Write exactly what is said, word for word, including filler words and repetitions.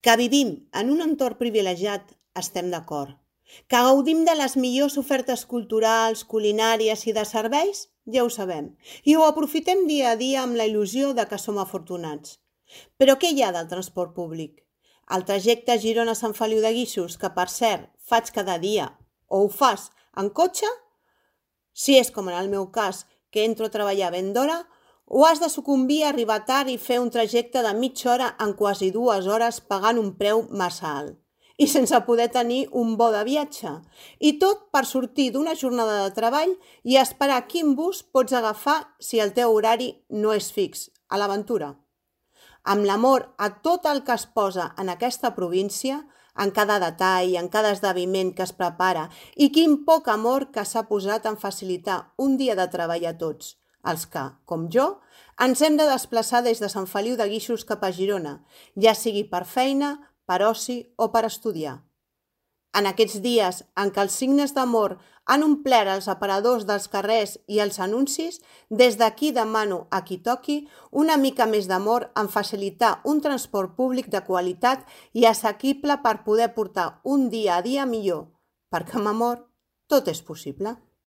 Que vivim en un entorn privilegiat, estem d'acord. Que gaudim de les millors ofertes culturals, culinàries i de serveis, ja ho sabem. I ho aprofitem dia a dia amb la il·lusió de que som afortunats. Però què hi ha del transport públic? El trajecte Girona-Sant Feliu de Guíxols, que per cert faig cada dia, o ho fas en cotxe, si és com en el meu cas, que entro a treballar ben d'hora, o has de sucumbir a arribar tard i fer un trajecte de mitja hora en quasi dues hores pagant un preu massa alt. I sense poder tenir un bo de viatge. I tot per sortir d'una jornada de treball i esperar quin bus pots agafar si el teu horari no és fix, a l'aventura. Amb l'amor a tot el que es posa en aquesta província, en cada detall, en cada esdeveniment que es prepara, i quin poc amor que s'ha posat en facilitar un dia de treball a tots, els que, com jo, ens hem de desplaçar des de Sant Feliu de Guíxols cap a Girona, ja sigui per feina, per oci o per estudiar. En aquests dies en què els signes d'amor han omplert els aparadors dels carrers i els anuncis, des d'aquí demano a qui toqui una mica més d'amor en facilitar un transport públic de qualitat i assequible per poder portar un dia a dia millor, perquè amb amor tot és possible.